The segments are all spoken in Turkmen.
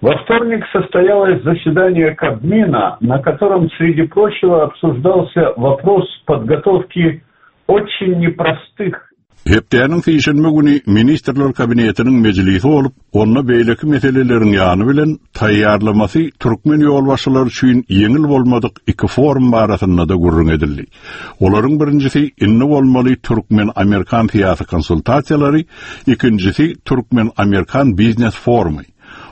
Во вторник состоялось заседание Кабмина, на котором, среди прочего, обсуждался вопрос подготовки очень непростых Hepdäniň sişenbe güni Ministrler Kabinetiniň mejlisi bolup, onda beýleki meseleleriň ýany bilen taýýarlamasy türkmen ýolbaşçylary üçin ýeňil bolmadyk iki forum barasynda-da gürrüň edildi. Olaryň birinjisi indi bolmaly türkmen-amerikan syýasy konsultasiýalary, ikinjisi türkmen-amerikan biznes forumy.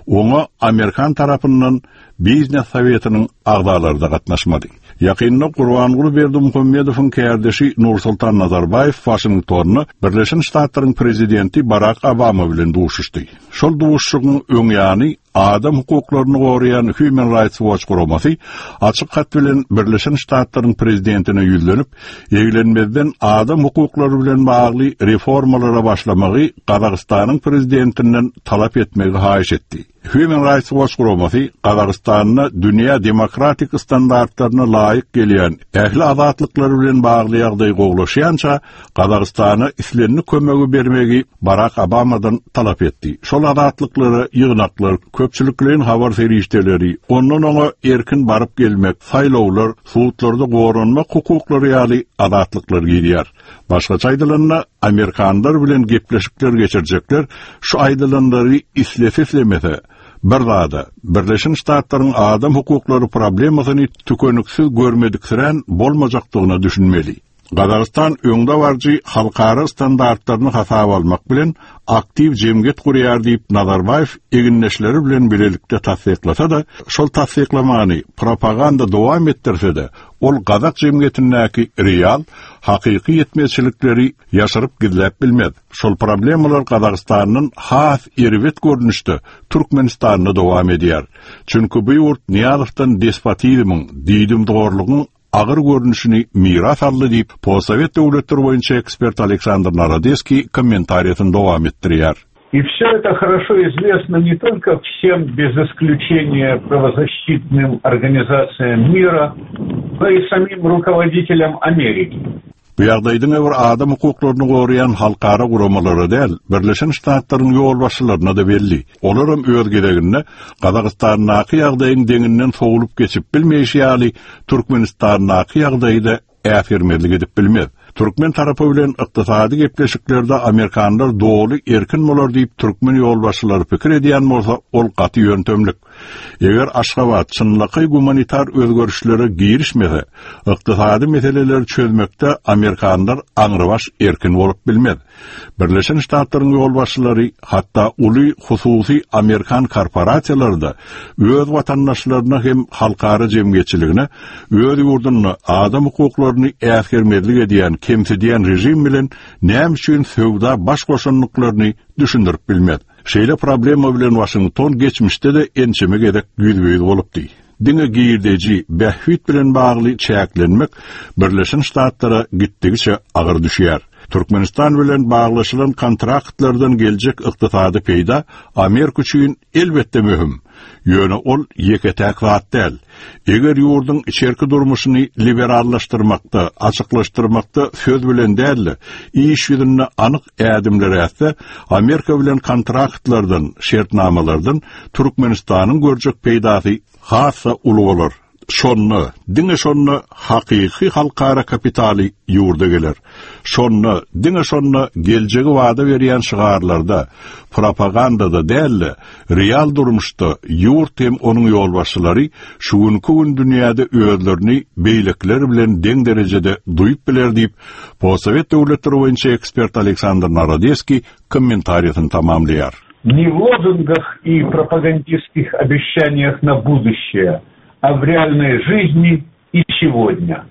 Oňa amerikan tarapyndan Biznes sowetiniň agzalary-da gatnaşmady. Ýakynda Gurbanguly Berdimuhamedowyň kärdeşi Nursultan Nazarbaýew Waşingtonda Birleşen Ştatlaryň prezidenti Barak Obama bilen duşuşdy. Şol duşuşygyň öň ýany adam hukuklaryny goraýan Human Rights Watch guramasy açyk hat bilen Birleşen Ştatlaryň prezidentine ýüzlenip, eglenmezden adam hukuklary bilen bagly reformalara başlamagy Gazagystanyň prezidentinden talap etmegi haýyş etdi. Human Rights Watch guramasy Gazagystanda dünýä demokratik standartlaryna laýyk gelýän ähli azatlyklar bilen bagly ýagdaý gowulaşýança Gazagystana islendik kömegi bermegi Barak Obamadan talap etdi. Şol azatlyklara ýygnaklar, köpçülikleýin habar serişdeleri, ondan-oňa erkin baryp-gelmek, saýlawlar, sudlarda goranmak hukuklary ýaly azatlyklar girýär. Başgaça aýdylanda, amerikanlar bilen gepleşikler geçirjekler şu aýdylanlary islese-islemese, bir zada, Birleşen Ştatlaryň adam hukuklary problemasyny tükeniksiz görmediksirän bolmajakdygyna düşünmeli. Gazagystan öňdebaryjy halkara standartlaryny hasaba almak bilen, aktiw jemgyýet gurýar diýip, Nazarbaýew egindeşleri bilen bilelikde tassyklasa-da, şol tassyklamany propaganda dowam etdirse-de, Ol gazak jemgyýetindäki real, hakyky ýetmezçilikleri ýaşyryp-gizläp bilmez. Şol problemalar Gazagystandan has erbet görnüşde Türkmenistanda dowam edýär. Çünki bu ýurt Nyýazowdan despotizmiň, diýdimzorlugyň agyr görnüşini miras aldy diýip, postsowet döwletleri boýunça ekspert Aleksandr Narodeskiý kommentariýasyny dowam etdirýär. И все это хорошо известно не только всем без исключения правозащитным организациям мира, но и самим руководителям Америки. Bu ýagdaý diňe bir adam hukuklaryny goraýan halkara guramalara däl, Birleşen Ştatlaryň ýolbaşçylaryna-da belli. Olaram öz gezeginde Gazagystandaky ýagdaýyň deňinden sowlup geçip bilmeýşi ýaly, Türkmenistandaky ýagdaýy-da äsgermezlik edip bilmez. Türkmen tarapy bilen ykdysady gepleşiklerde amerikanlar doly erkin bolar diýip türkmen ýolbaşçylary pikir edýän bolsa, ol gaty ýöntemlik. Eger Aşgabat çynlakaý gumanitar özgerişlere girişmese, ykdysady meseleleri çözmekde amerikanlar aňrybaş erkin bolup bilmez. Birleşen Ştatlaryň ýolbaşçylary, hatda uly hususy amerikan korporasiýalary-da öz watandaşlaryna hem halkara jemgyýetçiligine öz ýurdunda adam hukuklaryny äsgermezlik edýän, kemsidýän režim bilen näme üçin söwda baş goşandyklaryny düşündirip bilmez. Şeýle problema bilen Waşington geçmişde-de ençeme gezek ýüzbe-ýüz bolupdy. Diňe girdeji, bähbit bilen bagly çäklenmek Birleşen Ştatlara gitdigiçe agyr düşýär. Türkmenistan bilen baglaşylan kontraktlardan geljek ykdysady peýda Amerika üçin elbetde möhüm. Ýöne ol ýeke-täk zat däl. Eger ýurduň içerki durmuşyny liberallaşdyrmakda, açyklaşdyrmakda söz bilen däl-de, iş ýüzünde anyk ädimler ätse, Amerika bilen kontraktlardan, şertnamalardan Türkmenistanyň görjek peýdasy has-da uly bolar. Şonda, diňe şonda hakyky halkara kapitaly ýurda geler. Şonda, diňe şonda geljegi wada berýän şygarlarda, propagandada däl-de, real durmuşda ýurt hem onuň ýolbaşçylary şu günki gün dünýäde özlerini beýlekiler bilen deň derejede duýup biler diýip, postsowet döwletleri boýunça ekspert Aleksandr Narodeskiý kommentariýasyny tamamlaýar. Не в лозунгах и пропагандистских обещаниях на будущее, а в реальной жизни и сегодня.